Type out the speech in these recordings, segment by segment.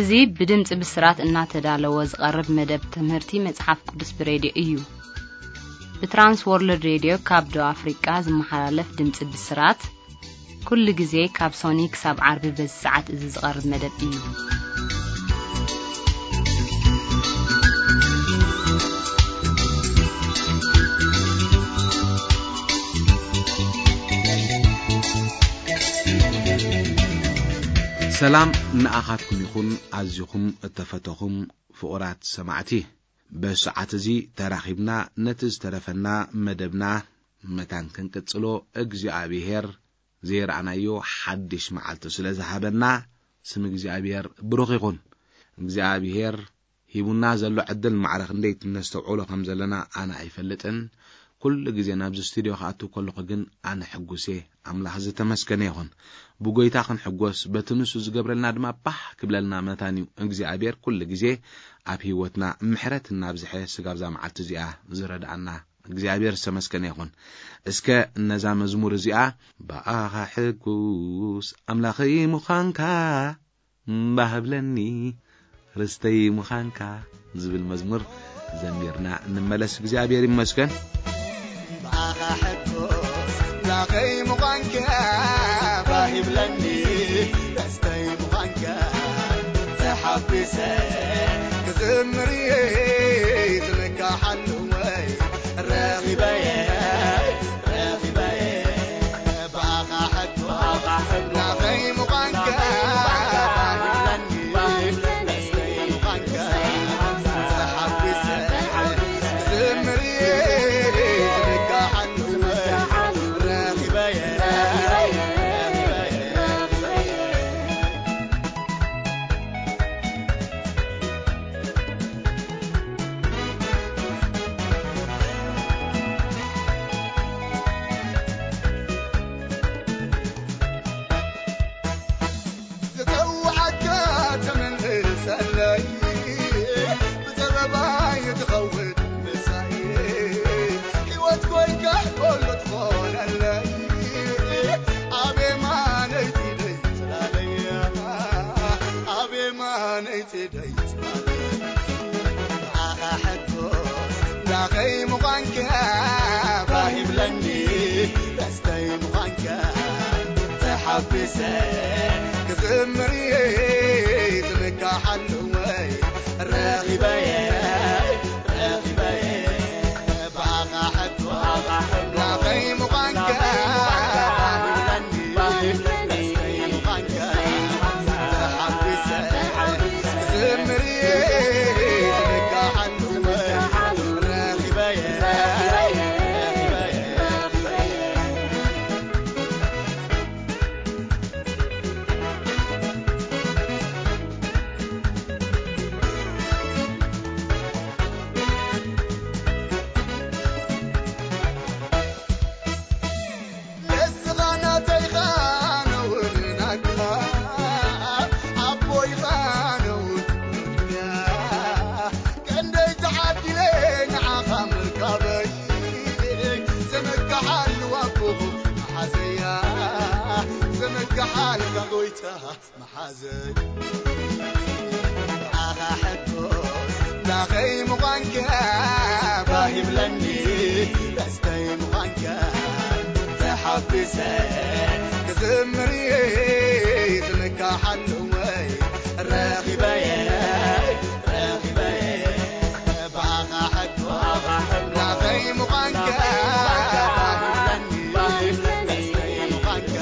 እዚ ብድምጺ ብስራት እናተዳለወ ዝቐርብ መደብ ትምህርቲ መጽሓፍ ቅዱስ ብሬድዮ እዩ። ብትራንስ ወርልድ ሬድዮ ካብ ደቡብ ኣፍሪቃ ዝመሓላለፍ ድምጺ ብስራት፣ ኩሉ ግዜ ካብ ሶኒ ክሳብ ዓርቢ በዚ ሰዓት እዚ ዝቐርብ መደብ እዩ። ሰላም ንኣኻትኩም ይኹን፣ ኣዚኹም እተፈተኹም ፍቑራት ሰማዕቲ። በዚ ሰዓት እዚ ተራኺብና ነቲ ዝተረፈና መደብና መታን ክንቅጽሎ እግዚኣብሔር ዘይረኣናዮ ሓድሽ መዓልቲ ስለ ዝሃበና ስም እግዚኣብሔር ብሩኽ ይኹን። እግዚኣብሔር ሂቡና ዘሎ ዕድል ማዕረ ክንደይ ነስተውዕሎ ከም ዘለና ኣነ ኣይፈልጥን። ኩሉ ግዜ ናብዚ ስቱድዮ ክኣቱ ከለኹ ግን ኣነ ሕጉስ እየ። ኣምላኽ ዝተመስገነ ይኹን። ብጎይታ ክንሕጎስ፣ በቲ ንሱ ዝገብረልና ድማ ባህ ክብለልና መታን እዩ። እግዚኣብሔር ኩሉ ግዜ ኣብ ህይወትና ምሕረት እናብዝሐ ስጋብ እዛ መዓልቲ እዚኣ ዝረድኣና እግዚኣብሔር ዝተመስገነ ይኹን። እስከ ነዛ መዝሙር እዚኣ ብኣኻ ሕጉስ ኣምላኸይ ምዃንካ ባህ ብለኒ ርስተይ ምዃንካ ዝብል መዝሙር ዘሚርና እንመለስ። እግዚኣብሔር ይመስገን። ብኣኻ ሕጎስ ላኸይ ምዃንካ ባህ ይብለኒ፣ ደስተይ ምዃንካ ተሓጒሰ ክዝምር እየ፣ ዝምካሓሉ ወይ ረኺበየ፣ ረኺበየ። ብኣኻ ሕጎስ ላኸይ ምዃንካ ባህ ይብለኒ፣ ደስተይ ምዃንካ ተሓጒሰ ክዝምር እየ፣ ዝምካሓሉ ወይ ረኺበየ፣ ረኺበየ። ዝተውዓካ ተመልሰለይ፣ ብዘረባይ ትኸውን ምሳይ፣ ሕይወት ኮይንካ ኩሉ ትኾነለይ። ኣብ የማነይ ኢደይ ጽላለይ፣ ኣብ የማነይ ኢደይ ጽላለይ። ብኣኻ ሕጎስ ላኸይ ምዃንካ ባህ ይብለኒ፣ ደስተይ ምዃንካ ተሓጒሰ ክዝምር እየ፣ ዝምካሓሉ ወይ ረኺበየ፣ ረኺበየ። ብኣኻ ሕጎስ ላኸይ ምዃንካ ባህ ይብለኒ፣ ደስተይ ምዃንካ ተሓጒሰ ክዝምር እየ፣ ዝምካሓሉ ወይ ረኺበየ፣ ረኺበየ። ንስኻ ናተይኻ ነውሪ ናካ፣ ኣቦይኻ ነውሪ ዱንያ። ክንደይ ተዓዲለ ንዓኻ ምርካበይ፣ ዘመካሓሉ ኣቦ መሓዘያ፣ ዘመካሓልካ ጎይታ መሓዘይ። ብኣኻ ሕጎስ ላኸይ ምዃንካ ባህ ይብለኒ፣ ደስተይ ምዃንካ ተሓጒሰ ክዝምር እየ፣ ዝምካሓሉ ወይ ረኺበየ፣ ረኺበየ። ብኣኻ ሕጎስ ላኸይ ምዃንካ ባህ ይብለኒ፣ ደስተይ ምዃንካ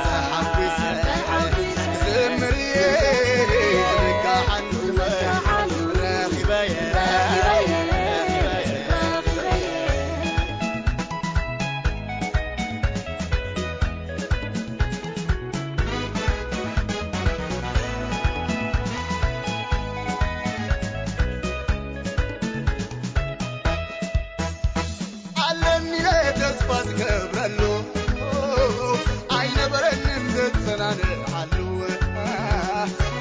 ተሓጒሰ ክዝምር እየ፣ ዝምካሓሉ ወይ ረኺበየ፣ ረኺበየ። ኣለኒ ኢለ ተስፋ ዝገብረሉ፣ ኣይነበረንን ዘጸናንዓሉ።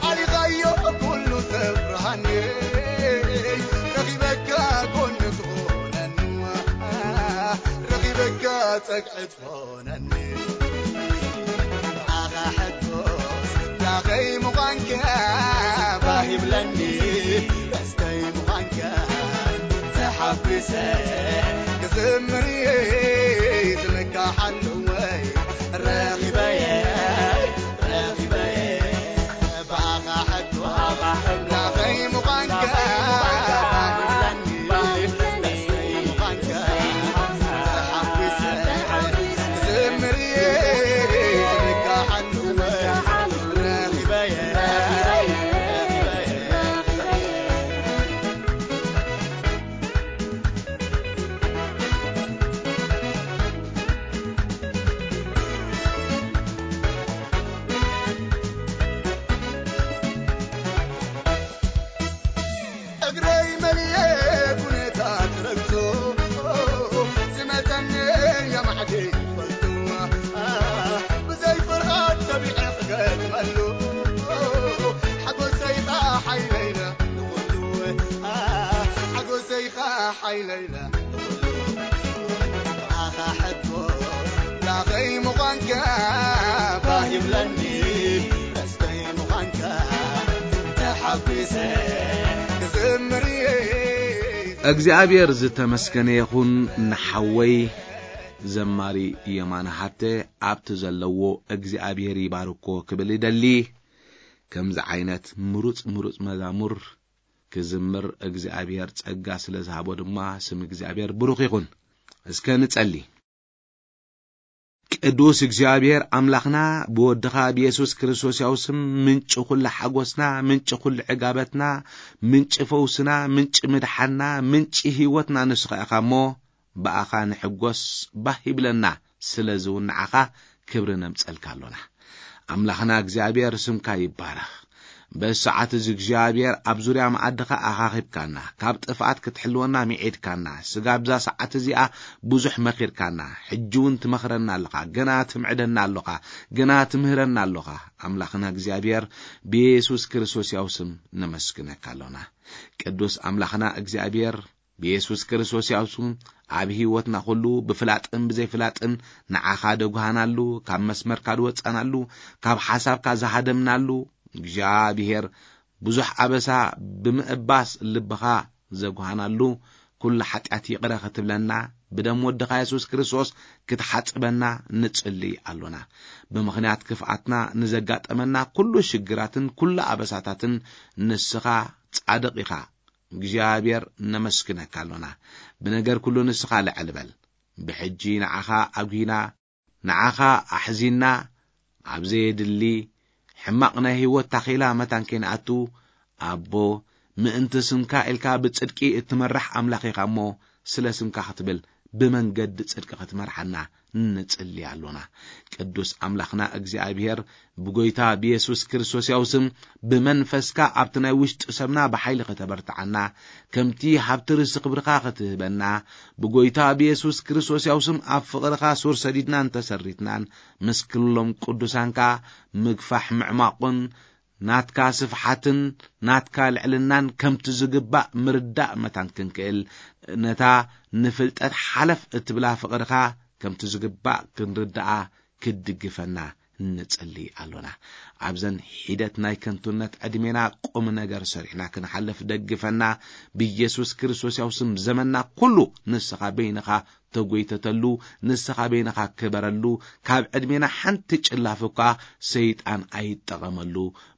ኣሊኻዮ ኩሉ ተፍርሃኒ፣ ረኺበካ ጎኒ ትኾነኒ፣ ረኺበካ ጸግዒ ትኾነኒ። ብኣኻ ሕጎስ ላኸይ ምዃንካ ብለኒ ደስተይ ምዃንካ ተሓጒሰ ክዝምር እየ ዝምካሓሉ ወይ ረኺበየ ረኺበየ ብኣኻ ሕቶ ኣምላኸይ ምዃንካ ብለኒ ደስተይ ምዃንካ ተሓጒሰ ክዝምር እየ ዝምካሓሉ ወይ ረኺበየ እግረይ መሊኤ ኩነታት ረግጾ ዝመጸኒ የማዕዲ ፈልጡ ብዘይ ፍርሃት ተቢዐ ክገጥመሉ ሓጎሰይ ኸዓ ሓይለይለ ንኹሉ ሓጎሰይ ኸዓ ሓይለይለ ንኹሉ ብኣኻ ሕቶ ላኸይ ምዃንካ ባህ ይብለኒ ደስተይ ምዃንካ ተሓጒሰ ክዝምር እየ እግዚኣብሔር ዝተመስገነ ይኹን። ንሓወይ ዘማሪ የማነ ሃብተ ኣብቲ ዘለዎ እግዚኣብሔር ይባርኮ ክብል ይደሊ። ከምዚ ዓይነት ምሩጽ ምሩጽ መዛሙር ክዝምር እግዚኣብሔር ጸጋ ስለ ዝሃቦ ድማ ስም እግዚኣብሔር ብሩኽ ይኹን። እስከ ንጸሊ። ቅዱስ እግዚኣብሔር ኣምላኽና ብወድኻ ብየሱስ ክርስቶስ ያው ስም ምንጪ ኩሉ ሓጎስና፣ ምንጪ ኩሉ ዕጋበትና፣ ምንጪ ፈውስና፣ ምንጪ ምድሓንና፣ ምንጪ ህይወትና ንስኻ ኢኻ እሞ ብኣኻ ንሕጎስ ባህ ይብለና። ስለዚ እውን ንዓኻ ክብሪ ነምጸልካ ኣሎና። ኣምላኽና እግዚኣብሔር ስምካ ይባረኽ። በዚ ሰዓት እዚ እግዚኣብሔር ኣብ ዙርያ መኣድኻ ኣኻኺብካና፣ ካብ ጥፍኣት ክትሕልወና ሚዒድካና። ስጋ ኣብዛ ሰዓት እዚኣ ብዙሕ መኺርካና፣ ሕጂ እውን ትመኽረና ኣለኻ፣ ገና ትምዕደና ኣሎኻ፣ ገና ትምህረና ኣሎኻ። ኣምላኽና እግዚኣብሔር ብየሱስ ክርስቶስ ያው ስም ነመስግነካ ኣሎና። ቅዱስ ኣምላኽና እግዚኣብሔር ብየሱስ ክርስቶስ ያው ስም ኣብ ህይወትና ኩሉ ብፍላጥን ብዘይፍላጥን ንዓኻ ደጉሃናሉ፣ ካብ መስመርካ ዝወጻናሉ፣ ካብ ሓሳብካ ዝሃደምናሉ እግዚኣብሔር ብዙሕ ኣበሳ ብምእባስ ልብኻ ዘጉሃናሉ ኩሉ ሓጢኣት ይቕረ ክትብለና ብደም ወድኻ የሱስ ክርስቶስ ክትሓጽበና ንጽሊ ኣሎና። ብምኽንያት ክፍኣትና ንዘጋጠመና ኩሉ ሽግራትን ኩሉ ኣበሳታትን ንስኻ ጻድቕ ኢኻ። እግዚኣብሔር ነመስግነካ ኣሎና። ብነገር ኩሉ ንስኻ ልዕል በል። ብሕጂ ንዓኻ ኣጒና፣ ንዓኻ ኣሕዚንና፣ ኣብ ዘየድሊ ሕማቕ ናይ ህይወት ታኼላ መታን ከይንኣቱ፣ ኣቦ፣ ምእንቲ ስምካ ኢልካ ብጽድቂ እትመራሕ ኣምላኽ ኢኻ እሞ፣ ስለ ስምካ ክትብል ብመንገዲ ጽድቂ ክትመርሓና ንጽሊ ኣሎና። ቅዱስ ኣምላኽና እግዚኣብሔር ብጎይታ ብየሱስ ክርስቶስ ያው ስም ብመንፈስካ ኣብቲ ናይ ውሽጢ ሰብና ብሓይሊ ከተበርትዓና፣ ከምቲ ሃብቲ ርእሲ ክብርኻ ክትህበና፣ ብጎይታ ብየሱስ ክርስቶስ ያው ስም ኣብ ፍቕርኻ ሱር ሰዲድናን ተሰሪትናን፣ ምስ ክሎም ቅዱሳንካ ምግፋሕ ምዕማቑን ናትካ ስፍሓትን ናትካ ልዕልናን ከምቲ ዝግባእ ምርዳእ መታን ክንክእል፣ ነታ ንፍልጠት ሓለፍ እትብላ ፍቕርኻ ከምቲ ዝግባእ ክንርድኣ ክትድግፈና ንጽሊ ኣሎና። ኣብዘን ሒደት ናይ ከንቱነት ዕድሜና ቁም ነገር ሰሪሕና ክንሓልፍ ደግፈና። ብየሱስ ክርስቶስ ያው ስም ዘመንና ኩሉ ንስኻ በይንኻ ተጎይተተሉ፣ ንስኻ በይንኻ ክበረሉ፣ ካብ ዕድሜና ሓንቲ ጭላፍ እኳ ሰይጣን ኣይጠቐመሉ።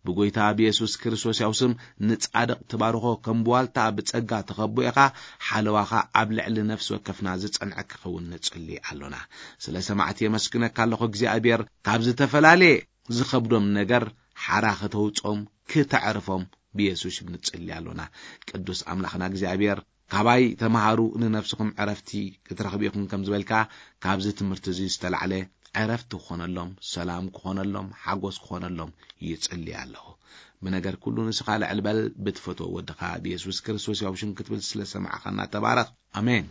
ብጎይታ ብየሱስ ክርስቶስ ያው ስም ንጻድቕ ትባርኾ፣ ከም ብዋልታ ብጸጋ ትኸቦ ኢኻ። ሓለዋኻ ኣብ ልዕሊ ነፍሲ ወከፍና ዝጸንዐ ክኸውን ንጽሊ ኣሎና። ስለ ሰማዕቲ የመስግነካ ኣለኹ እግዚኣብሔር፣ ካብ ዝተፈላለየ ዝኸብዶም ነገር ሓራ ከተውጾም፣ ክተዕርፎም ብየሱስ ሽም ንጽሊ ኣሎና። ቅዱስ ኣምላኽና እግዚኣብሔር፣ ካባይ ተምሃሩ፣ ንነፍስኹም ዕረፍቲ ክትረኽቡ ኢኹም ከም ዝበልካ፣ ካብዚ ትምህርቲ እዚ ዝተላዕለ ዕረፍቲ ክኾነሎም፣ ሰላም ክኾነሎም፣ ሓጎስ ክኾነሎም ይጽሊ ኣለኹ። ብነገር ኩሉ ንስኻ ልዕል በል፣ ብትፈትዎ ወድኻ ብየሱስ ክርስቶስ ያው ሽም ክትብል ስለ ሰማዕኻና ተባረኽ። ኣሜን።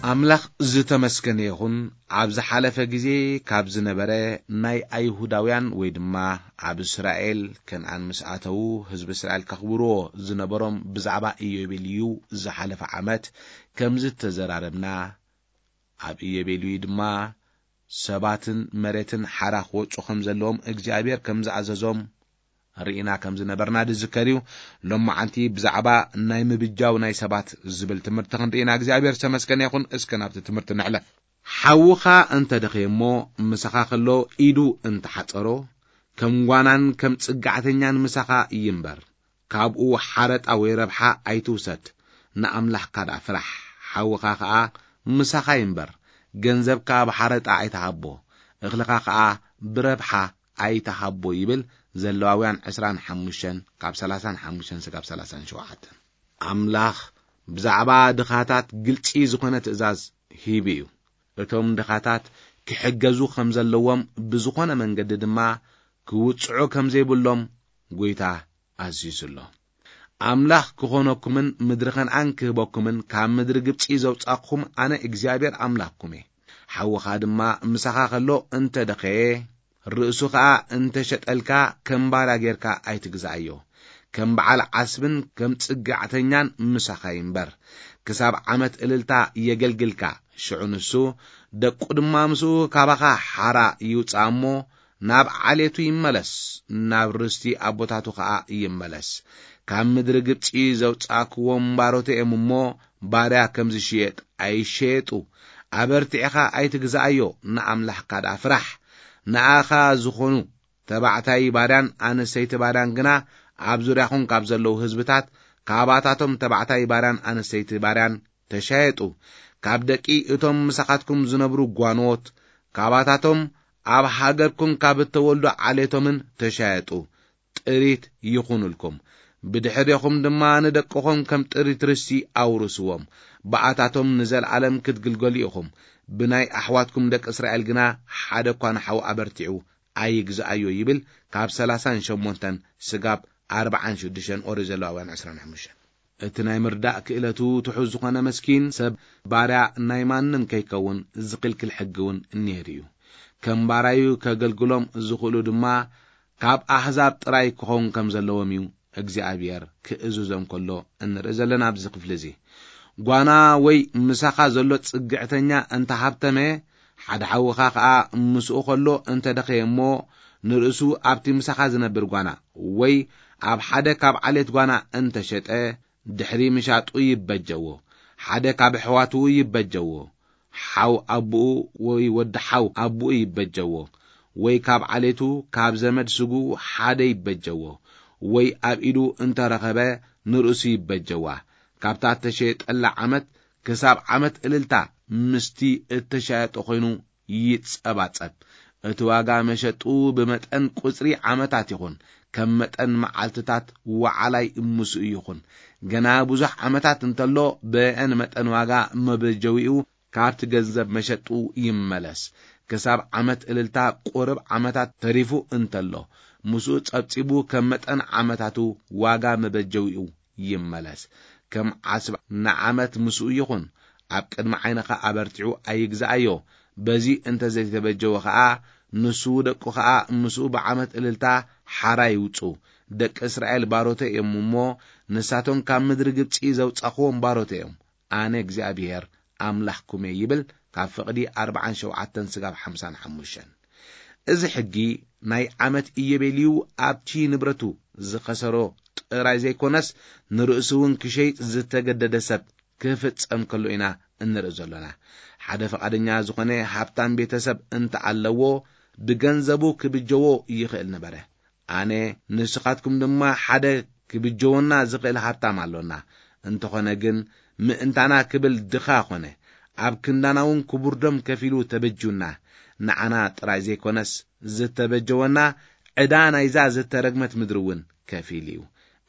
ኣምላኽ ዝተመስገነ ይኹን። ኣብ ዝሓለፈ ግዜ ካብ ዝነበረ ናይ ኣይሁዳውያን ወይ ድማ ኣብ እስራኤል ከነኣን ምስ ኣተዉ ህዝቢ እስራኤል ከኽብርዎ ዝነበሮም ብዛዕባ ኢዮቤልዩ ዝሓለፈ ዓመት ከም ዝተዘራረብና፣ ኣብ ኢዮቤልዩ ድማ ሰባትን መሬትን ሓራ ክወጹ ከም ዘለዎም እግዚኣብሔር ከም ዝኣዘዞም ርኢና ከም ዝነበርና ዝዝከር እዩ። ሎማዓንቲ ብዛዕባ ናይ ምብጃው ናይ ሰባት ዝብል ትምህርቲ ክንርኢና እግዚኣብሔር ዝተመስገነ ይኹን። እስከ ናብቲ ትምህርቲ ንሕለፍ። ሓውኻ እንተ ደኸየ እሞ ምሳኻ ከሎ ኢዱ እንተ ሓጸሮ፣ ከም ጓናን ከም ጽጋዕተኛን ምሳኻ ይንበር። ካብኡ ሓረጣ ወይ ረብሓ ኣይትውሰድ፣ ንኣምላኽካ ደኣ ፍራሕ። ሓውኻ ኸኣ ምሳኻ ይንበር፣ ገንዘብካ ብሓረጣ ኣይትሃቦ፣ እኽልኻ ኸኣ ብረብሓ ኣይትሃቦ ይብል። ዘለዋውያን ዕስራን ሓሙሽተን ካብ ሰላሳን ሓሙሽተን ስጋብ ሰላሳን ሸውዓተን። ኣምላኽ ብዛዕባ ድኻታት ግልጺ ዝኾነ ትእዛዝ ሂቡ እዩ። እቶም ድኻታት ክሕገዙ ከም ዘለዎም፣ ብዝኾነ መንገዲ ድማ ክውጽዑ ከም ዘይብሎም ጐይታ ኣዚዙ ኣሎ። ኣምላኽ ክኾነኩምን ምድሪ ከነኣን ክህበኩምን ካብ ምድሪ ግብጺ ዘውጻእኩኹም ኣነ እግዚኣብሔር ኣምላኽኩም እየ። ሓውኻ ድማ ምሳኻ ከሎ እንተ ደኸየ፣ ርእሱ ኸኣ እንተ ሸጠልካ፣ ከም ባርያ ጌርካ ኣይትግዛኣዮ። ከም በዓል ዓስብን ከም ጽግዕተኛን ምሳኻ ይንበር። ክሳብ ዓመት እልልታ የገልግልካ። ሽዑ ንሱ፣ ደቁ ድማ ምስኡ ካባኻ ሓራ ይውጻእ እሞ፣ ናብ ዓሌቱ ይመለስ፣ ናብ ርስቲ ኣቦታቱ ኸኣ ይመለስ። ካብ ምድሪ ግብጺ ዘውጻእክዎም ባሮት እዮም እሞ፣ ባርያ ከም ዝሽየጥ ኣይሸየጡ። ኣበርቲዕኻ ኣይትግዛኣዮ፣ ንኣምላኽካ ደኣ ፍራሕ። ንኣኻ ዝኾኑ ተባዕታይ ባርያን ኣንስተይቲ ባርያን ግና፣ ኣብ ዙርያኹም ካብ ዘለዉ ህዝብታት፣ ካባታቶም ተባዕታይ ባርያን ኣንስተይቲ ባርያን ተሻየጡ። ካብ ደቂ እቶም ምሳኻትኩም ዝነብሩ ጓኖት፣ ካባታቶም ኣብ ሃገርኩም ካብ እተወልዱ ዓሌቶምን ተሻየጡ። ጥሪት ይኹኑልኩም። ብድሕሬኹም ድማ ንደቅኹም ከም ጥሪት ርስቲ ኣውርስዎም። ብኣታቶም ንዘለኣለም ክትግልገሉ ኢኹም። ብናይ ኣሕዋትኩም ደቂ እስራኤል ግና ሓደ እኳ ንሓው ኣበርቲዑ ኣይግዝኣዮ ይብል። ካብ ሰላሳን ሸሞንተን ስጋብ ኣርባዓን ሽዱሽተን ኦሪት ዘለዋውያን ዕስራን ሓሙሽተን። እቲ ናይ ምርዳእ ክእለቱ ትሑዝ ዝኾነ መስኪን ሰብ ባርያ ናይ ማንም ከይከውን ዝኽልክል ሕጊ እውን ነይሩ እዩ። ከም ባራዩ ከገልግሎም ዝኽእሉ ድማ ካብ ኣህዛብ ጥራይ ክኸውን ከም ዘለዎም እዩ እግዚኣብሔር ክእዝዞም ከሎ እንርኢ ዘለና ኣብዚ ክፍሊ እዚ። ጓና ወይ ምሳኻ ዘሎ ጽግዕተኛ እንተ ሃብተመ፣ ሓደ ሓውኻ ኸኣ ምስኡ ኸሎ እንተ ደኸየ እሞ፣ ንርእሱ ኣብቲ ምሳኻ ዝነብር ጓና ወይ ኣብ ሓደ ካብ ዓሌት ጓና እንተ ሸጠ፣ ድሕሪ ምሻጡ ይበጀዎ። ሓደ ካብ ኣሕዋቱ ይበጀዎ። ሓው ኣቦኡ ወይ ወዲ ሓው ኣቦኡ ይበጀዎ። ወይ ካብ ዓሌቱ፣ ካብ ዘመድ ስግኡ ሓደ ይበጀዎ። ወይ ኣብ ኢዱ እንተ ረኸበ፣ ንርእሱ ይበጀዋ። ካብታ እተሸየጠላ ዓመት ክሳብ ዓመት እልልታ ምስቲ እተሻየጦ ኾይኑ ይጸባጸብ። እቲ ዋጋ መሸጡ ብመጠን ቁጽሪ ዓመታት ይኹን፣ ከም መጠን መዓልትታት ወዓላይ ምስኡ ይኹን። ገና ብዙሕ ዓመታት እንተሎ፣ ብአን መጠን ዋጋ መበጀዊኡ ካብቲ ገንዘብ መሸጡ ይመለስ። ክሳብ ዓመት እልልታ ቁርብ ዓመታት ተሪፉ እንተሎ፣ ምስኡ ጸብጺቡ ከም መጠን ዓመታቱ ዋጋ መበጀዊኡ ይመለስ። ከም ዓስብ ንዓመት ምስኡ ይኹን፣ ኣብ ቅድሚ ዓይንኻ ኣበርቲዑ ኣይግዛኣዮ። በዚ እንተ ዘይተበጀወ ኸኣ፣ ንሱ ደቁ ኸኣ ምስኡ ብዓመት እልልታ ሓራ ይውጹ። ደቂ እስራኤል ባሮተይ እዮም እሞ፣ ንሳቶም ካብ ምድሪ ግብጺ ዘውጻኽዎም ባሮተይ እዮም። ኣነ እግዚኣብሄር ኣምላኽኩም እየ ይብል። ካብ ፍቕዲ ኣርብዓን ሸውዓተን ስጋብ ሓምሳን ሓሙሽተን። እዚ ሕጊ ናይ ዓመት ኢዮቤልዩ ኣብቲ ንብረቱ ዝኸሰሮ ጥራይ ዘይኮነስ፣ ንርእሱ እውን ክሸይጥ ዝተገደደ ሰብ ክፍጸም ከሎ ኢና እንርኢ ዘሎና። ሓደ ፍቓደኛ ዝኾነ ሃብታም ቤተሰብ እንተ ኣለዎ፣ ብገንዘቡ ክብጀዎ ይኽእል ነበረ። ኣነ ንስኻትኩም ድማ ሓደ ክብጀወና ዝኽእል ሃብታም ኣሎና። እንተኾነ ግን፣ ምእንታና ክብል ድኻ ኾነ። ኣብ ክንዳና እውን ክቡር ደም ከፊሉ ተበጁና። ንዓና ጥራይ ዘይኮነስ፣ ዝተበጀወና ዕዳ ናይዛ ዝተረግመት ምድሪ እውን ከፊሉ እዩ።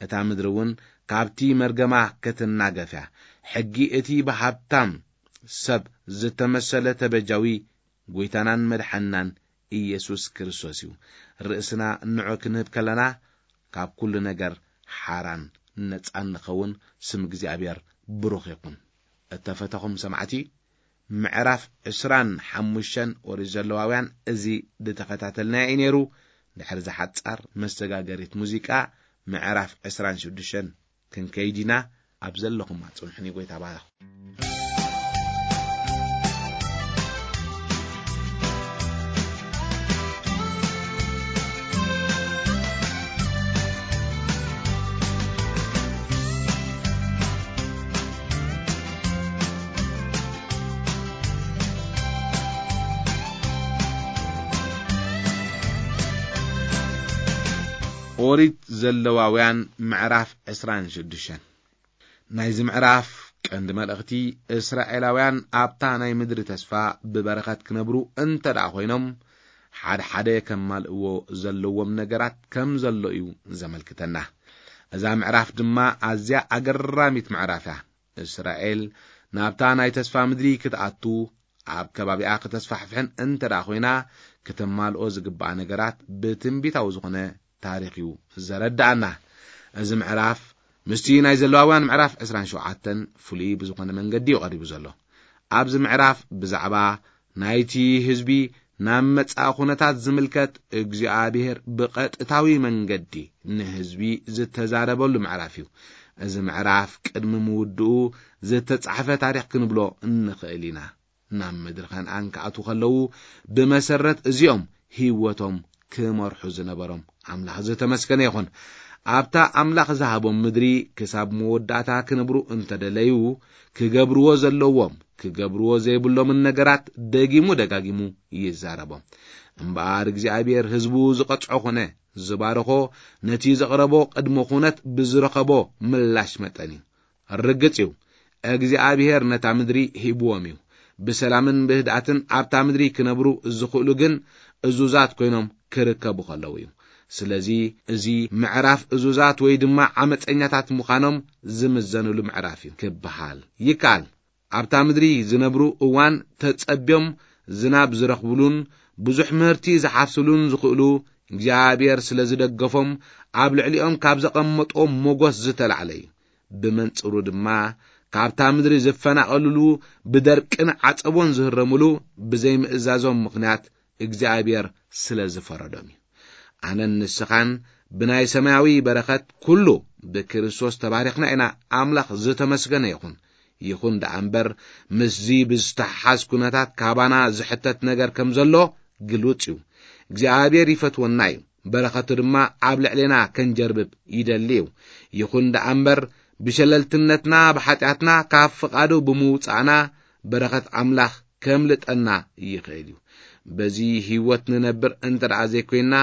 እታ ምድሪ እውን ካብቲ መርገማ ክትናገፍ እያ። ሕጊ እቲ ብሃብታም ሰብ ዝተመሰለ ተበጃዊ ጐይታናን መድሓንናን ኢየሱስ ክርስቶስ እዩ። ርእስና ንዑ ክንህብ ከለና፣ ካብ ኩሉ ነገር ሓራን ነጻን ንኸውን። ስም እግዚኣብሔር ብሩኽ ይኹን። እተፈተኹም ሰማዕቲ፣ ምዕራፍ ዕስራን ሓሙሽተን ኦሪት ዘለዋውያን እዚ ዝተኸታተልናዮ እዩ ነይሩ። ድሕሪ ዝሓጻር መሰጋገሪት ሙዚቃ ምዕራፍ ዕስራን ሽዱሽተን ክንከይድ ኢና። ኣብ ዘለኹም ኣጽንሑኒ። ጎይታ ባረኽ። ኦሪት ዘለዋውያን ምዕራፍ ዕስራን ሽዱሽተን። ናይዚ ምዕራፍ ቀንዲ መልእኽቲ፣ እስራኤላውያን ኣብታ ናይ ምድሪ ተስፋ ብበረኸት ክነብሩ እንተ ደኣ ኮይኖም፣ ሓደ ሓደ ከማልእዎ ዘለዎም ነገራት ከም ዘሎ እዩ ዘመልክተና። እዛ ምዕራፍ ድማ ኣዝያ ኣገራሚት ምዕራፍ እያ። እስራኤል ናብታ ናይ ተስፋ ምድሪ ክትኣቱ፣ ኣብ ከባቢኣ ክተስፋሕፍሕን እንተ ደኣ ኮይና፣ ክተማልኦ ዝግብኣ ነገራት ብትንቢታዊ ዝኾነ ታሪኽ እዩ ዘረድኣና። እዚ ምዕራፍ ምስቲ ናይ ዘለዋውያን ምዕራፍ ዕስራን ሸውዓተን ፍሉይ ብዝኾነ መንገዲ እዩ ቀሪቡ ዘሎ። ኣብዚ ምዕራፍ ብዛዕባ ናይቲ ህዝቢ ናብ መጻኢ ኩነታት ዝምልከት፣ እግዚኣብሔር ብቐጥታዊ መንገዲ ንህዝቢ ዝተዛረበሉ ምዕራፍ እዩ። እዚ ምዕራፍ ቅድሚ ምውድኡ ዝተጻሕፈ ታሪኽ ክንብሎ እንኽእል ኢና። ናብ ምድሪ ከነኣን ክኣትዉ ከለዉ፣ ብመሰረት እዚኦም ህይወቶም ክመርሑ ዝነበሮም ኣምላኽ ዝተመስገነ ይኹን። ኣብታ ኣምላኽ ዝሃቦም ምድሪ ክሳብ መወዳእታ ክነብሩ እንተደለዩ፣ ክገብርዎ ዘለዎም፣ ክገብርዎ ዘይብሎምን ነገራት ደጊሙ ደጋጊሙ ይዛረቦም። እምበኣር እግዚኣብሔር ህዝቡ ዝቐጽዖ ኾነ ዝባረኾ፣ ነቲ ዘቕረቦ ቅድመ ኩነት ብዝረኸቦ ምላሽ መጠን እዩ። ርግጽ እዩ፣ እግዚኣብሔር ነታ ምድሪ ሂብዎም እዩ። ብሰላምን ብህድኣትን ኣብታ ምድሪ ክነብሩ ዝኽእሉ ግን እዙዛት ኮይኖም ክርከቡ ከለዉ እዩ። ስለዚ እዚ ምዕራፍ እዙዛት ወይ ድማ ዓመፀኛታት ምዃኖም ዝምዘኑሉ ምዕራፍ እዩ ክበሃል ይከኣል። ኣብታ ምድሪ ዝነብሩ እዋን ተጸብዮም ዝናብ ዝረኽብሉን ብዙሕ ምህርቲ ዝሓፍስሉን ዝኽእሉ እግዚኣብሔር ስለ ዝደገፎም፣ ኣብ ልዕሊኦም ካብ ዘቐመጦም ሞገስ ዝተላዕለ እዩ። ብመንጽሩ ድማ ካብታ ምድሪ ዝፈናቐልሉ፣ ብደርቅን ዓጸቦን ዝህረምሉ ብዘይምእዛዞም ምኽንያት እግዚኣብሔር ስለ ዝፈረዶም እዩ። ኣነን ንስኻን ብናይ ሰማያዊ በረኸት ኩሉ ብክርስቶስ ተባሪኽና ኢና። ኣምላኽ ዝተመስገነ ይኹን። ይኹን ደኣ እምበር፣ ምስዚ ብዝተሓሓዝ ኩነታት ካባና ዝሕተት ነገር ከም ዘሎ ግሉጽ እዩ። እግዚኣብሔር ይፈትወና እዩ። በረኸቱ ድማ ኣብ ልዕሌና ከንጀርብብ ይደሊ እዩ። ይኹን ደኣ እምበር፣ ብሸለልትነትና፣ ብሓጢኣትና፣ ካብ ፍቓዱ ብምውጻእና፣ በረኸት ኣምላኽ ከምልጠና ይኽእል እዩ። በዚ ህይወት ንነብር እንተ ደኣ ዘይኮይንና፣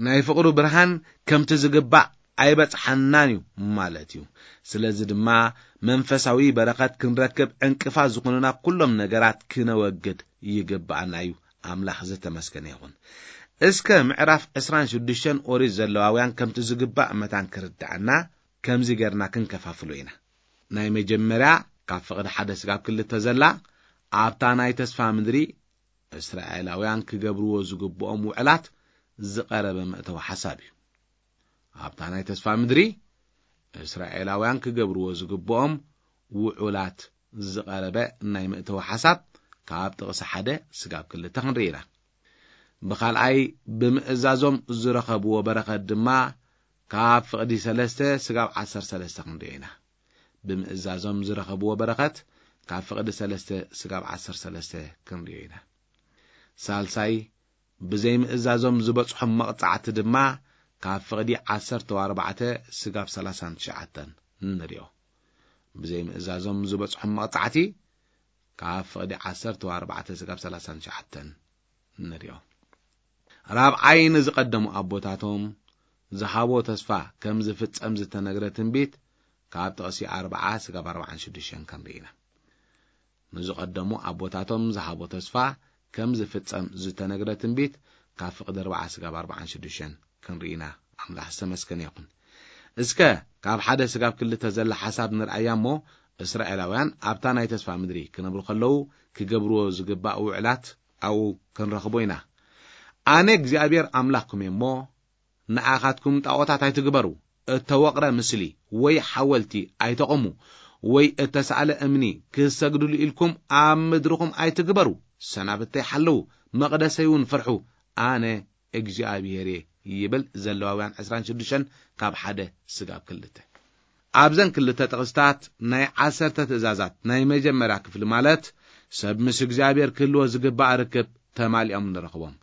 ናይ ፍቕሩ ብርሃን ከምቲ ዝግባእ ኣይበጽሓናን እዩ ማለት እዩ። ስለዚ ድማ መንፈሳዊ በረኸት ክንረክብ ዕንቅፋት ዝኾኑና ኩሎም ነገራት ክነወግድ ይግብኣና እዩ። ኣምላኽ ዝተመስገነ ይኹን። እስከ ምዕራፍ ዕስራን ሽዱሽተን ኦሪት ዘለዋውያን ከምቲ ዝግባእ መታን ክርድኣና ከምዚ ጌርና ክንከፋፍሎ ኢና። ናይ መጀመርያ ካብ ፍቕዲ ሓደ ስጋብ ክልተ ዘላ ኣብታ ናይ ተስፋ ምድሪ እስራኤላውያን ክገብርዎ ዝግብኦም ውዕላት ዝቐረበ መእተዊ ሓሳብ እዩ። ኣብታ ናይ ተስፋ ምድሪ እስራኤላውያን ክገብርዎ ዝግብኦም ውዑላት ዝቐረበ ናይ መእተዊ ሓሳብ ካብ ጥቕሲ ሓደ ስጋብ ክልተ ክንርኢ ኢና። ብኻልኣይ ብምእዛዞም ዝረኸብዎ በረኸት ድማ ካብ ፍቕዲ ሰለስተ ስጋብ ዓሰርተ ሰለስተ ክንርኢ ኢና። ብምእዛዞም ዝረኸብዎ በረኸት ካብ ፍቕዲ ሰለስተ ስጋብ ዓሰርተ ሰለስተ ክንርኢ ኢና። ሳልሳይ ብዘይምእዛዞም ዝበጽሖም መቕጻዕቲ ድማ ካብ ፍቕዲ ዓሰርተ ኣርባዕተ ስጋብ ሰላሳን ትሽዓተን ንሪኦ። ብዘይምእዛዞም ዝበጽሖም መቕጻዕቲ ካብ ፍቕዲ ዓሰርተ ኣርባዕተ ስጋብ ሰላሳን ትሽዓተን ንሪኦ። ራብዓይ ንዝቐደሙ ኣቦታቶም ዝሃቦ ተስፋ ከም ዝፍጸም ዝተነግረ ትንቢት ካብ ጥቕሲ ኣርብዓ ስጋብ ኣርብዓን ሽዱሽተን ክንርኢ ኢና። ንዝቐደሙ ኣቦታቶም ዝሃቦ ተስፋ ከም ዝፍጸም ዝተነግረ ትንቢት ካብ ፍቕዲ ኣርብዓ ስጋብ ኣርብዓን ሽዱሽተን ክንርኢ ኢና። ኣምላኽ ዝተመስገነ ይኹን። እስከ ካብ ሓደ ስጋብ ክልተ ዘላ ሓሳብ ንርኣያ እሞ፣ እስራኤላውያን ኣብታ ናይ ተስፋ ምድሪ ክነብሩ ከለዉ ክገብርዎ ዝግባእ ውዕላት ኣብኡ ክንረኽቦ ኢና። ኣነ እግዚኣብሔር ኣምላኽኩም እየ እሞ፣ ንኣኻትኩም ጣዖታት ኣይትግበሩ፣ እተወቕረ ምስሊ ወይ ሓወልቲ ኣይተቐሙ፣ ወይ እተሳእለ እምኒ ክሰግድሉ ኢልኩም ኣብ ምድርኹም ኣይትግበሩ። ሰናብተይ ሓለዉ፣ መቕደሰይ እውን ፍርሑ። ኣነ እግዚኣብሔር እየ ይብል ዘለዋውያን ዕስራን ሽዱሽተን ካብ ሓደ ስጋብ ክልተ። ኣብዘን ክልተ ጥቕስታት ናይ ዓሰርተ ትእዛዛት ናይ መጀመርያ ክፍሊ ማለት ሰብ ምስ እግዚኣብሔር ክህልዎ ዝግባእ ርክብ ተማሊኦም ንረኽቦም።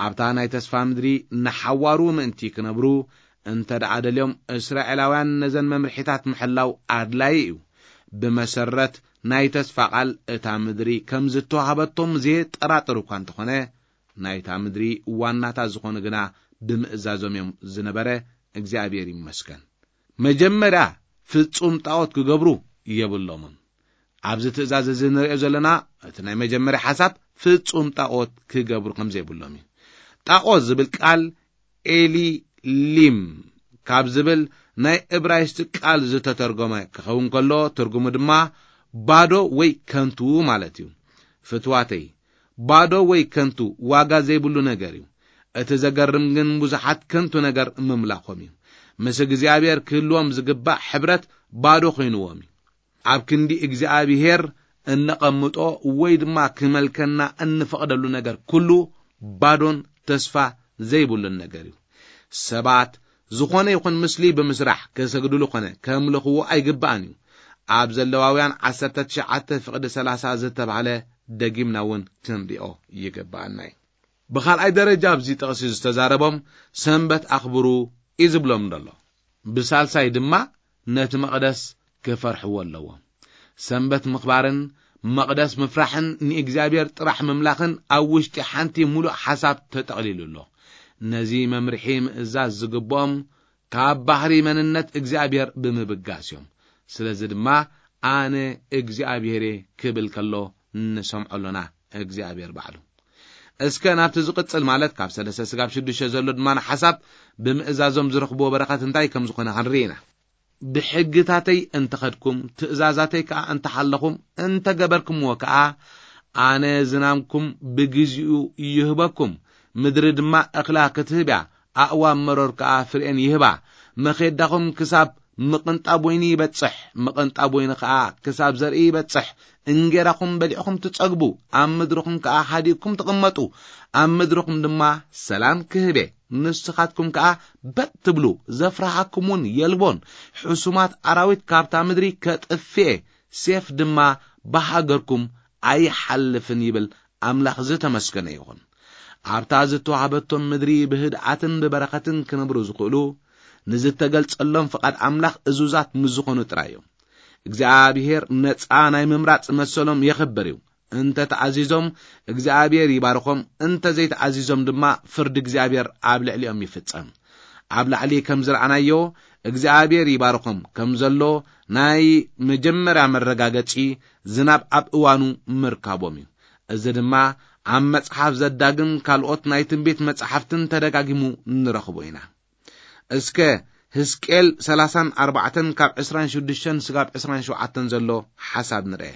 ኣብታ ናይ ተስፋ ምድሪ ንሓዋሩ ምእንቲ ክነብሩ እንተ ደኣ ደልዮም እስራኤላውያን ነዘን መምርሒታት ምሕላው ኣድላዪ እዩ። ብመሰረት ናይ ተስፋ ቃል እታ ምድሪ ከም ዝተዋህበቶም ዘየጠራጥር እኳ እንተኾነ ናይታ ምድሪ ዋናታት ዝኾኑ ግና ብምእዛዞም እዮም ዝነበረ። እግዚኣብሔር ይመስገን። መጀመርያ ፍጹም ጣዖት ክገብሩ የብሎምን። ኣብዚ ትእዛዝ እዚ ንሪኦ ዘለና እቲ ናይ መጀመርያ ሓሳብ ፍጹም ጣዖት ክገብሩ ከም ዘይብሎም እዩ። ጣዖት ዝብል ቃል ኤሊሊም ካብ ዝብል ናይ እብራይስጥ ቃል ዝተተርጎመ ክኸውን ከሎ ትርጉሙ ድማ ባዶ ወይ ከንቱ ማለት እዩ። ፍትዋተይ፣ ባዶ ወይ ከንቱ ዋጋ ዘይብሉ ነገር እዩ። እቲ ዘገርም ግን ብዙሓት ከንቱ ነገር ምምላኾም እዩ። ምስ እግዚኣብሔር ክህልዎም ዝግባእ ሕብረት ባዶ ኮይንዎም እዩ። ኣብ ክንዲ እግዚኣብሔር እነቐምጦ ወይ ድማ ክመልከና እንፈቕደሉ ነገር ኩሉ ባዶን ተስፋ ዘይብሉን ነገር እዩ። ሰባት ዝኾነ ይኹን ምስሊ ብምስራሕ ከሰግድሉ ኮነ ከምልኽዎ ኣይግባእን እዩ። ኣብ ዘለዋውያን ዓሰርተ ትሽዓተ ፍቕዲ ሰላሳ ዝተባህለ ደጊምና እውን ክንሪኦ ይግባኣና እዩ። ብኻልኣይ ደረጃ ኣብዚ ጥቕሲ ዝተዛረቦም ሰንበት ኣኽብሩ እዩ ዝብሎም ዘሎ። ብሳልሳይ ድማ ነቲ መቕደስ ክፈርሕዎ ኣለዎም። ሰንበት ምኽባርን መቕደስ ምፍራሕን ንእግዚኣብሔር ጥራሕ ምምላኽን ኣብ ውሽጢ ሓንቲ ሙሉእ ሓሳብ ተጠቕሊሉ ኣሎ። ነዚ መምርሒ ምእዛዝ ዝግብኦም ካብ ባህሪ መንነት እግዚኣብሔር ብምብጋስ እዮም። ስለዚ ድማ ኣነ እግዚኣብሔር እየ ክብል ከሎ ንሰምዖ ኣሎና። እግዚኣብሔር ባዕሉ እስከ ናብቲ ዝቕጽል ማለት ካብ ሰለስተ ስጋብ ሽዱሽተ ዘሎ ድማ ንሓሳብ ብምእዛዞም ዝረኽብዎ በረኸት እንታይ ከም ዝኾነ ክንርኢ ኢና። ብሕግታተይ እንተኸድኩም ትእዛዛተይ ከኣ እንተሓለኹም እንተገበርኩምዎ ከኣ ኣነ ዝናምኩም ብግዚኡ ይህበኩም፣ ምድሪ ድማ እኽላ ክትህብ እያ፣ ኣእዋም መሮር ከኣ ፍሬኤን ይህባ። መኼዳኹም ክሳብ ምቕንጣብ ወይኒ ይበጽሕ፣ ምቕንጣብ ወይኒ ከኣ ክሳብ ዘርኢ ይበጽሕ። እንጌራኹም በሊዕኹም ትጸግቡ፣ ኣብ ምድርኹም ከኣ ሃዲእኩም ትቕመጡ። ኣብ ምድርኹም ድማ ሰላም ክህብ እየ፣ ንስኻትኩም ከኣ በጥ ትብሉ፣ ዘፍርሃኩም እውን የልቦን። ሕሱማት ኣራዊት ካብታ ምድሪ ከጥፍእ እየ፣ ሴፍ ድማ ብሃገርኩም ኣይሓልፍን ይብል ኣምላኽ። ዝተመስገነ ይኹን። ኣብታ ዝተዋህበቶም ምድሪ ብህድኣትን ብበረኸትን ክነብሩ ዝኽእሉ ንዝተገልጸሎም ፍቓድ ኣምላኽ እዙዛት ምስ ዝኾኑ ጥራይ እዮም። እግዚኣብሔር ነጻ ናይ ምምራጽ መሰሎም የኽብር እዩ። እንተ ተኣዚዞም እግዚኣብሔር ይባርኾም፣ እንተ ዘይተኣዚዞም ድማ ፍርዲ እግዚኣብሔር ኣብ ልዕሊኦም ይፍጸም። ኣብ ላዕሊ ከም ዝረኣናዮ እግዚኣብሔር ይባርኾም ከም ዘሎ ናይ መጀመርያ መረጋገጺ ዝናብ ኣብ እዋኑ ምርካቦም እዩ። እዚ ድማ ኣብ መጽሓፍ ዘዳግም ካልኦት ናይ ትንቢት መጻሕፍትን ተደጋጊሙ ንረኽቦ ኢና። እስከ ህዝቅኤል ሰላሳን ኣርባዕተን ካብ ዕስራን ሽዱሽተን ስጋብ ዕስራን ሸውዓተን ዘሎ ሓሳብ ንርአ።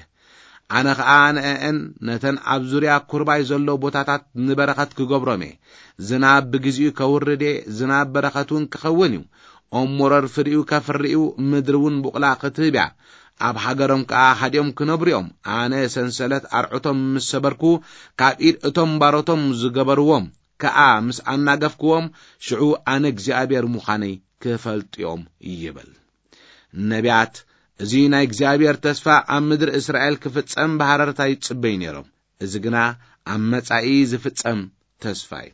ኣነ ኸኣ ንአአን ነተን ኣብ ዙርያ ኩርባይ ዘሎ ቦታታት ንበረኸት ክገብሮም እየ። ዝናብ ብግዚኡ ከውርድ እየ፣ ዝናብ በረኸት እውን ክኸውን እዩ። ኦም ሞረር ፍሪኡ ከፍሪ እዩ፣ ምድሪ እውን ቡቕላ ክትህብ እያ። ኣብ ሃገሮም ከኣ ሃዲኦም ክነብሩ እዮም። ኣነ ሰንሰለት ኣርዑቶም ምስ ሰበርኩ፣ ካብ ኢድ እቶም ባሮቶም ዝገበርዎም ከኣ ምስ ኣናገፍክዎም፣ ሽዑ ኣነ እግዚኣብሔር ምዃነይ ክፈልጡ እዮም ይብል። ነቢያት እዚ ናይ እግዚኣብሔር ተስፋ ኣብ ምድሪ እስራኤል ክፍጸም ብሃረርታ ይጽበዩ ነይሮም። እዚ ግና ኣብ መጻኢ ዝፍጸም ተስፋ እዩ።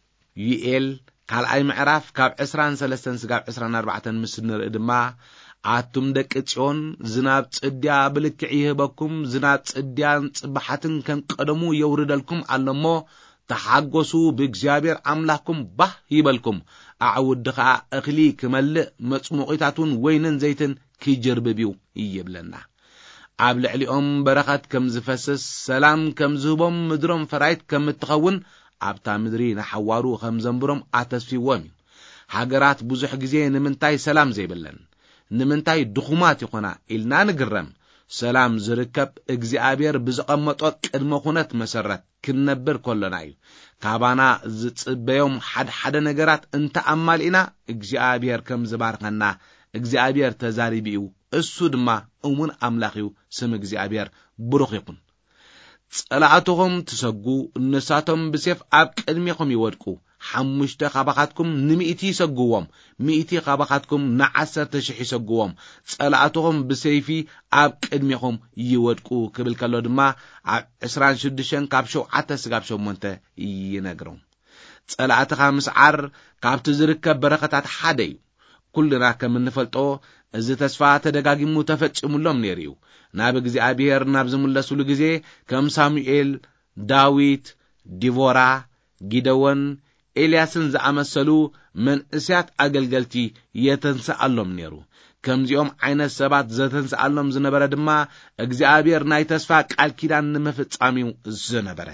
ዩኤል ካልኣይ ምዕራፍ ካብ ዕስራን ሰለስተን ስጋብ ዕስራን ኣርባዕተን ምስ ንርኢ ድማ፣ ኣቱም ደቂ ጽዮን፣ ዝናብ ጽድያ ብልክዕ ይህበኩም፣ ዝናብ ጽድያን ጽባሓትን ከም ቀደሙ የውርደልኩም ኣሎ እሞ፣ ተሓጎሱ፣ ብእግዚኣብሔር ኣምላኽኩም ባህ ይበልኩም። ኣዕውዲ ኸኣ እኽሊ ክመልእ፣ መጽሙቒታት እውን ወይንን ዘይትን ክጅርብብ እዩ ይብለና። ኣብ ልዕሊኦም በረኸት ከም ዝፈስስ፣ ሰላም ከም ዝህቦም፣ ምድሮም ፈራይት ከም እትኸውን፣ ኣብታ ምድሪ ንሓዋሩ ከም ዘንብሮም ኣተስፊዎም እዩ። ሃገራት ብዙሕ ግዜ ንምንታይ ሰላም ዘይብለን፣ ንምንታይ ድኹማት ይኾና ኢልና ንግረም። ሰላም ዝርከብ እግዚኣብሔር ብዝቐመጦ ቅድመ ኩነት መሰረት ክንነብር ከሎና እዩ። ካባና ዝጽበዮም ሓድሓደ ነገራት እንተ ኣማሊእና፣ እግዚኣብሔር ከም ዝባርኸና እግዚኣብሔር ተዛሪቡ እዩ እሱ ድማ እሙን ኣምላኽ እዩ። ስም እግዚኣብሔር ብሩኽ ይኹን። ጸላእትኹም ትሰጉ፣ ንሳቶም ብሴፍ ኣብ ቅድሜኹም ይወድቁ። ሓሙሽተ ካባኻትኩም ንሚእቲ ይሰግዎም፣ ሚእቲ ካባኻትኩም ንዓሰርተ ሽሕ ይሰግዎም። ጸላእትኹም ብሰይፊ ኣብ ቅድሜኹም ይወድቁ ክብል ከሎ ድማ ኣብ ዕስራን ሽዱሽተን ካብ ሸውዓተ ስጋብ ሸሞንተ ይነግሮም። ጸላእትኻ ምስዓር ካብቲ ዝርከብ በረኸታት ሓደ እዩ። ኩልና ከም እንፈልጦ፣ እዚ ተስፋ ተደጋጊሙ ተፈጺሙሎም ነይሩ እዩ። ናብ እግዚኣብሔር ናብ ዝምለሱሉ ግዜ፣ ከም ሳሙኤል፣ ዳዊት፣ ዲቦራ፣ ጊደዎን፣ ኤልያስን ዝኣመሰሉ መንእስያት ኣገልገልቲ የተንስኣሎም ነይሩ። ከምዚኦም ዓይነት ሰባት ዘተንስኣሎም ዝነበረ ድማ፣ እግዚኣብሔር ናይ ተስፋ ቃል ኪዳን ንምፍጻም እዩ ዝነበረ።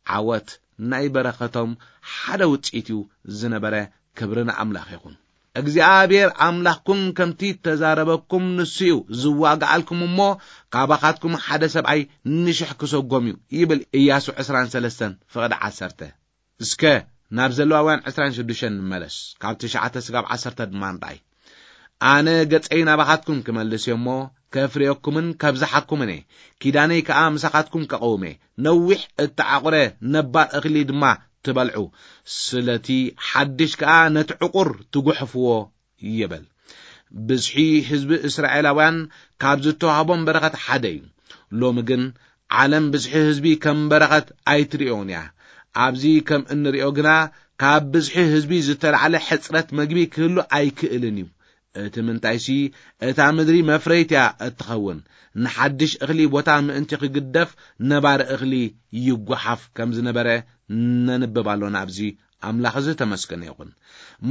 ዓወት ናይ በረኸቶም ሓደ ውጽኢት እዩ ዝነበረ። ክብሪ ንኣምላኽ ይኹን። እግዚኣብሔር ኣምላኽኩም ከምቲ ተዛረበኩም ንሱ እዩ ዝዋግኣልኩም እሞ፣ ካባኻትኩም ሓደ ሰብኣይ ንሽሕ ክሰጎም እዩ ይብል ኢያሱ ዕስራን ሰለስተን ፍቕዲ ዓሰርተ። እስከ ናብ ዘለዋውያን ዕስራን ሽዱሽተን ንመለስ፣ ካብ ትሽዓተ ስጋብ ዓሰርተ ድማ ንርኣይ። ኣነ ገጸይ ናባኻትኩም ክመልስ እየ እሞ፣ ከፍርየኩምን ከብዝሓኩምን እየ። ኪዳነይ ከኣ ምሳኻትኩም ከቐውም እየ። ነዊሕ እተዓቑረ ነባር እኽሊ ድማ ትበልዑ፣ ስለቲ ሓድሽ ከኣ ነቲ ዕቑር ትጉሕፍዎ ይበል። ብዝሒ ህዝቢ እስራኤላውያን ካብ ዝተዋህቦም በረኸት ሓደ እዩ። ሎሚ ግን ዓለም ብዝሒ ህዝቢ ከም በረኸት ኣይትርእዮን እያ። ኣብዚ ከም እንርእዮ ግና፣ ካብ ብዝሒ ህዝቢ ዝተላዕለ ሕጽረት መግቢ ክህሉ ኣይክእልን እዩ። እቲ ምንታይሲ፣ እታ ምድሪ መፍረይት እያ እትኸውን። ንሓድሽ እኽሊ ቦታ ምእንቲ ክግደፍ፣ ነባሪ እኽሊ ይጓሓፍ ከም ዝነበረ ነንብብ ኣሎና። ኣብዚ ኣምላኽ እዚ ተመስገነ ይኹን።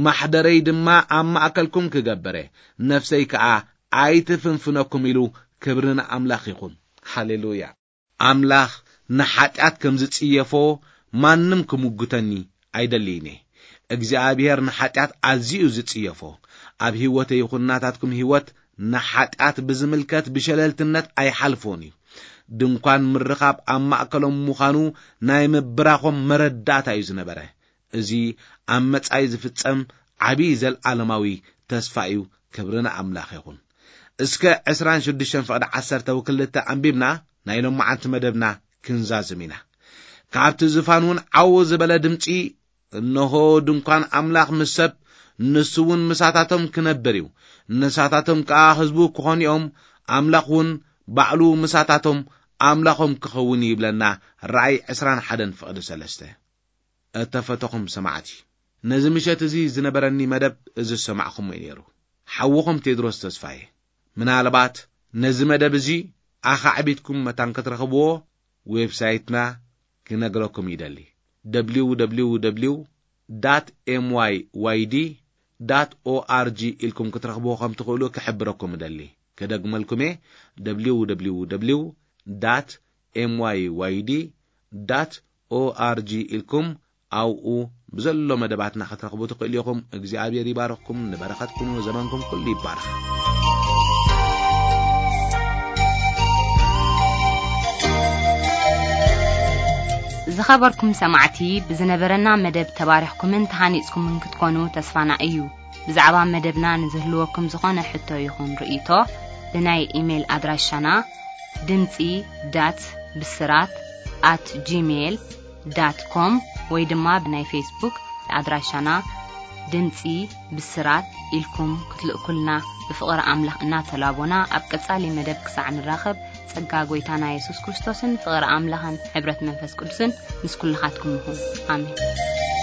ማሕደረይ ድማ ኣብ ማእከልኩም ክገብር እየ፣ ነፍሰይ ከኣ ኣይትፍንፍነኩም ኢሉ። ክብሪ ንኣምላኽ ይኹን። ሃሌሉያ። ኣምላኽ ንሓጢኣት ከም ዝጽየፎ ማንም ክምጉተኒ ኣይደልይን እየ። እግዚኣብሔር ንሓጢኣት ኣዝዩ እዩ ዝጽየፎ። ኣብ ህይወተይ ይኹን ናታትኩም ህይወት ንሓጢኣት ብዝምልከት ብሸለልትነት ኣይሓልፎን እዩ። ድንኳን ምርኻብ ኣብ ማእከሎም ምዃኑ ናይ ምብራኾም መረዳእታ እዩ ዝነበረ። እዚ ኣብ መጻኢ ዝፍጸም ዓቢ ዘልኣለማዊ ተስፋ እዩ። ክብሪ ንኣምላኽ ይኹን። እስከ ዕስራን ሽዱሽተን ፍቕዲ ዓሰርተ ወክልተ ኣንቢብና ናይ ሎማዓንቲ መደብና ክንዛዝም ኢና። ካብቲ ዝፋን እውን ዓው ዝበለ ድምጺ፣ "እንሆ ድንኳን ኣምላኽ ምስ ሰብ፣ ንሱ እውን ምሳታቶም ክነብር እዩ። ንሳታቶም ከኣ ህዝቡ ክኾኑ እዮም፣ ኣምላኽ እውን ባዕሉ ምሳታቶም ኣምላኾም ክኸውን እዩ" ይብለና። ራእይ ዕስራን ሓደን ፍቕዲ ሰለስተ። እተፈተኹም ሰማዕቲ፣ ነዚ ምሸት እዚ ዝነበረኒ መደብ እዚ ዝሰማዕኹሞ እዩ ነይሩ። ሓውኹም ቴድሮስ ተስፋዬ። ምናልባት ነዚ መደብ እዚ ኣኻዕቢትኩም መታን ክትረኽብዎ ዌብሳይትና ክነግረኩም ይደሊ። ደብሊው ደብሊው ደብሊው ዳት ኤም ዋይ ዋይ ዲ ዳት ኦ ኣር ጂ ኢልኩም ክትረኽብዎ ከም ትኽእሉ ክሕብረኩም እደሊ። ክደግመልኩም እየ፣ ደብሊው ደብሊው ደብሊው ዳት ኤም ዋይ ዋይ ዲ ዳት ኦ ኣር ጂ ኢልኩም ኣብኡ ብዘሎ መደባትና ክትረኽቡ ትኽእሉ ኢኹም። እግዚኣብሔር ይባርኽኩም፣ ንበረኸት ኩኑ፣ ዘመንኩም ኩሉ ይባረኽ። ዝኸበርኩም ሰማዕቲ፣ ብዝነበረና መደብ ተባሪኽኩምን ተሃኒጽኩምን ክትኮኑ ተስፋና እዩ። ብዛዕባ መደብና ንዝህልወኩም ዝኾነ ሕቶ ይኹን ርእይቶ፣ ብናይ ኢሜይል ኣድራሻና ድምጺ ዳት ብስራት ኣት ጂሜይል ዳት ኮም ወይ ድማ ብናይ ፌስቡክ ኣድራሻና ድምጺ ብስራት ኢልኩም ክትልእኩልና ብፍቕሪ ኣምላኽ እናተላቦና፣ ኣብ ቀጻሊ መደብ ክሳዕ ንራኸብ፣ ጸጋ ጐይታና የሱስ ክርስቶስን ፍቕሪ ኣምላኽን ሕብረት መንፈስ ቅዱስን ምስ ኩልኻትኩም ይኹን። ኣሜን።